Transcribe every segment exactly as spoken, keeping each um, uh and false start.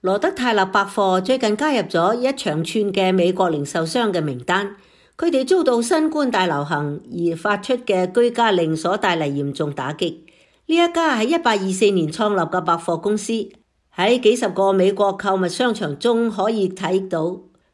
羅德泰勒百貨最近加入咗一長串嘅美國零售商嘅名單，佢哋遭到新冠大流行而發出嘅居家令所帶嚟嚴重打擊。呢一家喺一八二四年創立嘅百貨公司，喺幾十個美國購物商場中可以睇到，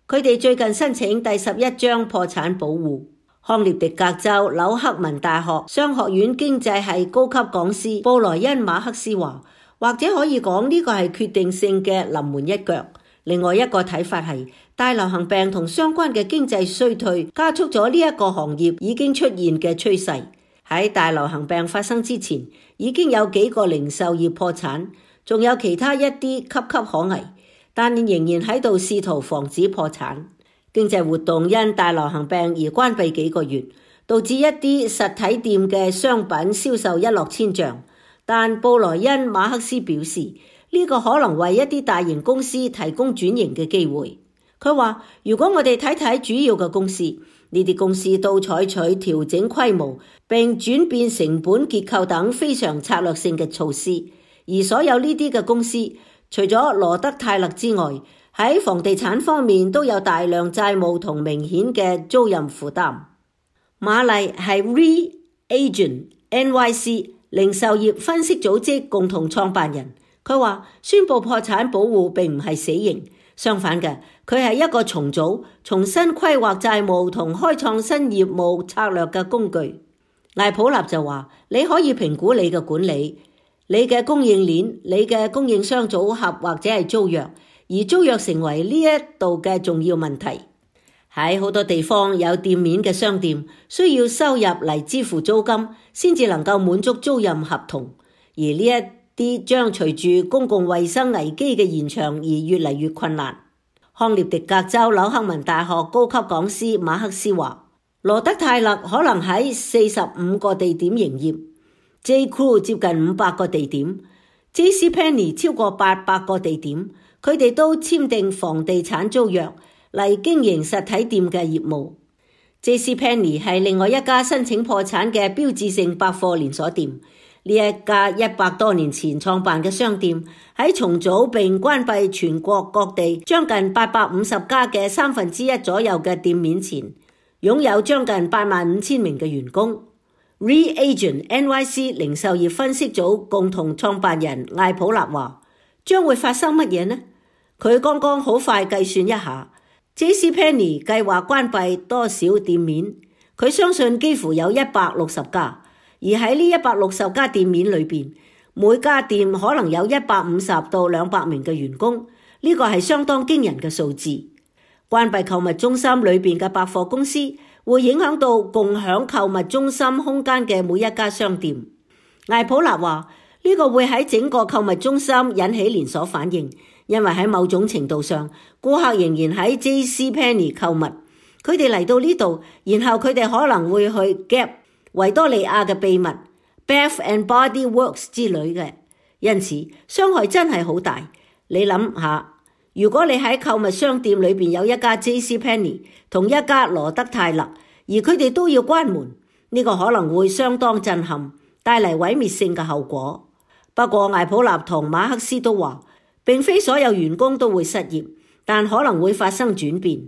佢哋最近申請第十一張破產保護。康涅狄格州紐克文大學商學院經濟系高級講師布萊恩馬克斯話，或者可以講呢個係決定性嘅臨門一腳。另外一個睇法係，大流行病同相關嘅經濟衰退加速咗呢一個行業已經出現嘅趨勢。喺大流行病發生之前，已經有幾個零售業破產，仲有其他一啲岌岌可危，但仍然喺度試圖防止破產。經濟活動因大流行病而關閉幾個月，導致一啲實體店嘅商品銷售一落千丈。但布萊恩馬克斯表示，呢個可能為一啲大型公司提供轉型嘅機會。佢話，如果我哋睇睇主要嘅公司，呢啲公司都採取調整規模並轉變成本結構等非常策略性嘅措施，而所有呢啲嘅公司，除咗羅德泰勒之外，喺房地產方面都有大量債務同明顯嘅租賃負擔。馬麗係 Reagent N Y C 零售業分析組織共同創辦人，佢話宣布破產保護並唔係死刑，相反嘅，佢係一個重組、重新規劃債務同開創新業務策略嘅工具。艾普納就話，你可以評估你嘅管理、你嘅供應鏈、你嘅供應商組合或者係租約，而租約成為呢一度嘅重要問題。喺好多地方有店面嘅商店需要收入嚟支付租金，先至能夠滿足租賃合同，而呢一啲將隨住公共衛生危機嘅延長而越嚟越困難。康涅狄格州紐克文大學高級講師馬克斯話，羅德泰勒可能喺四十五個地點營業， J. Crew 接近五百個地點， J C Penney 超過八百個地點，佢哋都簽訂房地產租約嚟經營實體店嘅業務。J C Penney 係另外一家申請破產嘅標誌性百貨連鎖店。呢一家一百多年前創辦嘅商店，喺重組並關閉全國各地將近八百五十家嘅三分之一左右嘅店面前，擁有將近八萬五千名嘅員工。Reagent N Y C 零售業分析組共同創辦人艾普納話，將會發生乜嘢呢？佢剛剛好快計算一下， J C Penney 計劃關閉多少店面？佢相信幾乎有一百六十家。而喺呢一百六十家店面裏邊，每家店可能有一百五十到兩百名嘅員工，呢個係相當驚人嘅數字。關閉購物中心裏邊嘅百貨公司，會影響到共享購物中心空間嘅每一家商店。艾普納話，呢個會喺整個購物中心引起連鎖反應，因為喺某種程度上，顧客仍然喺 J C Penney 購物，佢哋嚟到呢度，然後佢哋可能會去 Gap、維多利亞嘅秘密、Bath and Body Works 之類嘅，因此傷害真係好大。你諗下，如果你喺購物商店裏邊有一家 J C Penney 同一家羅德泰勒，而佢哋都要關門，呢個可能會相當震撼，帶嚟毀滅性嘅後果。不過艾普納同馬克斯都話，並非所有員工都會失業，但可能會發生轉變。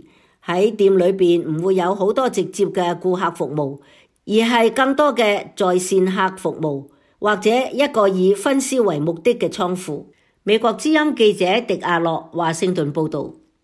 喺店裏邊唔會有好多直接嘅顧客服務，而係更多嘅在線客服務，或者一個以分銷為目的嘅倉庫。美國之音記者狄亞洛華盛頓報道。